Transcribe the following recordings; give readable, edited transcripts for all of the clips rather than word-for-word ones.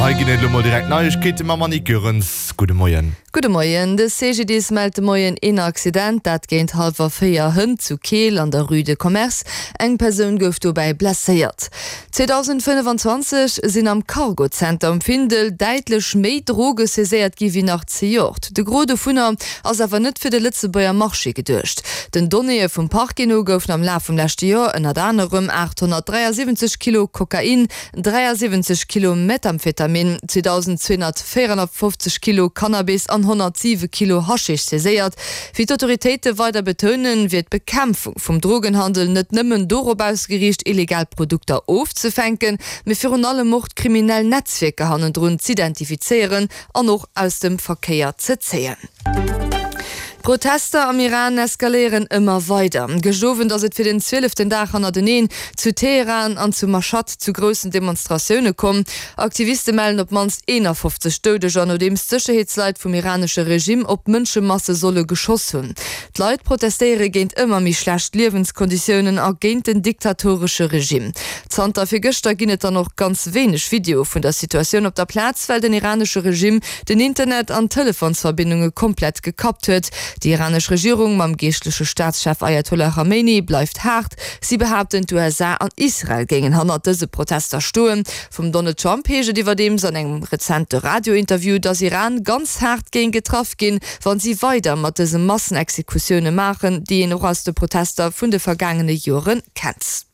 An hei ginn et elo mol direkt Neiegkeete mam Annick Goerens. Gudde Moien. Gudde Moien. De CGDIS mellt de Moien een Accident, dat géint hallwer 4 hënt zu Keel an der Rue de Commerce. Eng Persoun gouf dobäi blesséiert. 2025 sinn am Cargo-Zenter um Findel däitlech méi Droge saiséiert gi wéi nach zejoert. De Gros dovunner ass awer net fir de Lëtzebuerger Marché geduecht. Den Donnéeë vum Parquet no goufen am Laf vum leschte Joer ënnert anerem 873 Kilo Kokain, 73 Kilo Methamphetamin, 2.254 Kilo Cannabis an 107 Kilo Haschisch saiséiert. Wéi d'Autoritéite weider betounen, wier d'Bekämpfung vum Drogenhandel net nëmmen dorop ausgeriicht, illegal Produkter ofzefänken, mee virun allem och d'kriminell Netzwierker hannendrun z'identifizéieren an och aus dem Verkéier ze zéien. D'Protester am Iran eskaléieren ëmmer weider. Gëscht Owend ass et fir den zwieleften Dag hannerteneen zu Teheran an zu Mashhad zu groussen Demonstratioune komm. Aktiviste mellen op d'mannst 51 Doudeger, nodeems d'Sécherheetsleit vum iranesche Regime op Mënschemasse solle geschoss hunn. D'Leit protestéiere géint ëmmer méi schlecht Liewenskonditiounen a géint den diktatoresche Regime. Zanter virgëschter ginn et dann och ganz wéineg Videoe vun der Situatioun op der Plaz, well den iranesche Regime den Internet an d'Telefonsverbindunge komplett gekappt huet. Déi iranesch Regierung mam geeschtleche Staatschef Ayatollah Khamenei bleift haart. Si behaapten, d'USA an Israel géingen hannert dëse Protester stoen. Vum Donald Trump heescht et iwwerdeems an engem rezente Radiointerview, datt Iran ganz haart géing getraff ginn, wann si weider mat dëse Massenexekutioune maachen, déi een och aus de Protester vun de vergaangene Joere kennt.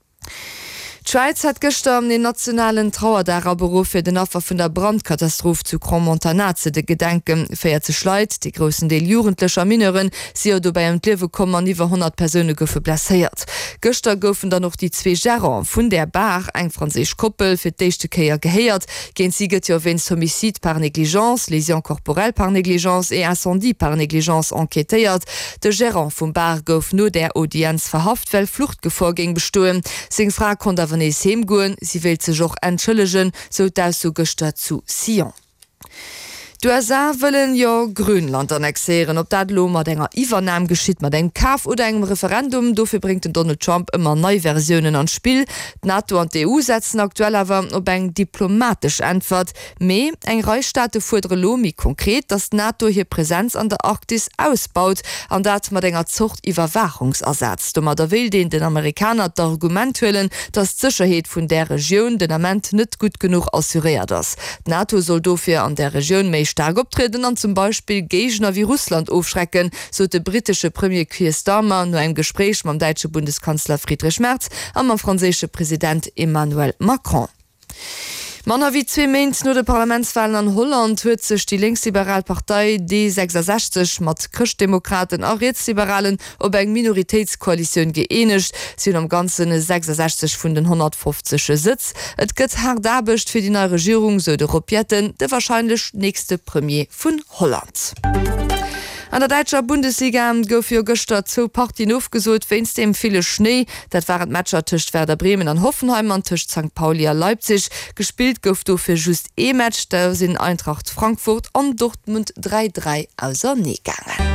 D'Schwäiz hat gëschter een nationalen Trauerdag aberuff, fir den Affer vun der Brandkatastroph zu Crans-Montana ze gedenken. 40 Leit, dee groussen Deel Jugendlecher a Mineuren, si jo dobäi ëm d'Liewe komm an iwwer 100 Persoune goufe blesséiert. Gëschter goufen dann och déi zwee Gerante vun där Bar, eng franséisch Koppel, fir d'éischte Kéier gehéiert. Géint si gëtt jo wéinst Homicide par négligence, Lésions corporelles par négligence et Incendie par négligence enquêtéiert. De Gerant vum Bar gouf no där Audienz verhaft, well Fluchtgefor géing bestoen. Seng Fra konnt awer nees heem goen. Si wéilt sech och entschëllegen, sou d'Ausso gëschter zu Sion. D'USA wëllen jo Grönland annexéieren. Ob dat elo mat enger Iwwernam geschitt, mat engem Kaf oder engem Referendum, dofir bréngt den Donald Trump ëmmer nei Versiounen an d'Spill. D'NATO an d'EU setzen aktuell awer op eng diplomatesch Äntwert. Mee eng Rei Staate fuerdere lo méi konkret, datt d'NATO hir Presenz an der Arktis ausbaut, an dat mat enger Zort Iwwerwaachungsasaz. Domadder wéilt een den Amerikaner d'Argument huelen, datt d'Sécherheet vun där Regioun den Ament net gutt genuch assuréiert ass. D'NATO soll dofir an där Regioun méi staark optrieden an zum Beispill Géigner wéi Russland ofschrecken, sot de brittesche Premier Keir Starmer no engem Gespréich mam däitsche Bundeskanzler Friedrich Merz a mam franséische President Emmanuel Macron. Manner wéi zwee Méint no de Parlamentswalen an Holland huet sech déi lénksliberal Partei D66 mat Chrëschtdemokraten a Rietsliberalen op eng Minoritéitskoalitioun gëeenegt. Si hunn am Ganze 66 vun den 150 Sëtz. Et gëtt haart Aarbecht fir déi nei Regierung, sou de Rob Jetten, de warscheinlech nächste Premier vun Holland. An der däitscher Bundesliga goufe jo gëschter zwou Partien ofgesot wéinst dem ville Schnéi. Dat waren d'Matcher tëscht Werder Bremen an Hoffenheim an tëscht Sankt Pauli a Leipzig. Gespillt gouf dofir just ee Match, da sinn Eintracht Frankfurt an Dortmund 3, 3 ausernee gaangen.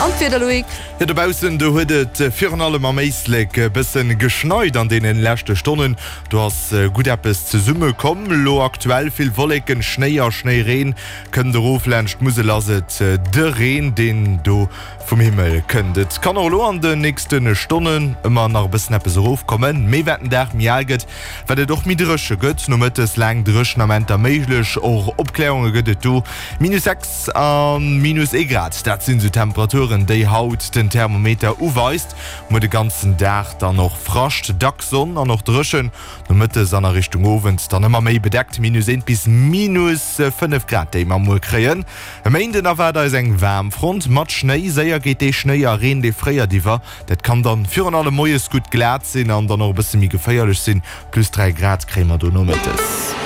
An d'Wieder, Loïc? Jo, dobaussen do huet et virun allem am Éislek e bëssen geschneit an deenen leschte Stonnen. Do ass gutt eppes zesumme komm. Lo aktuell vill Wolleken, Schnéi a Schnéireen kënnt erof. Laanscht d'Musel ass et de Reen, deen do Vum Himmel kënnt et kann och elo an de nächste Stonnen ëmmer nach e bëssen eppes erofkommen, mee wat den Dag méi al gëtt, wat et och méi dréche gëtt. Nomëttes laang dréchen Amenter méiglech, och Opkläerunge gëtt et do. Minus 6 a minus ee Grad, dat sinn esou Temperaturen, déi haut den Thermometer uweist. Muer de ganzen Dag dann och Frascht, dacks Sonn an och dréchen. Nomëttes an a Richtung Owend dann ëmmer méi bedeckt, minus 1 bis minus 5 Grad, déi mer muer kréien. E Méinden erwaart eis eng Waarmfront mat Schnéi. Séier geet dee Schnéi a Reen, dee fréiert iwwer. Dat kann dann virun allem moies gutt glat sinn an dann och e bësse méi geféierlech sinn. Plus 3 Grad kréie mer do nomëttes.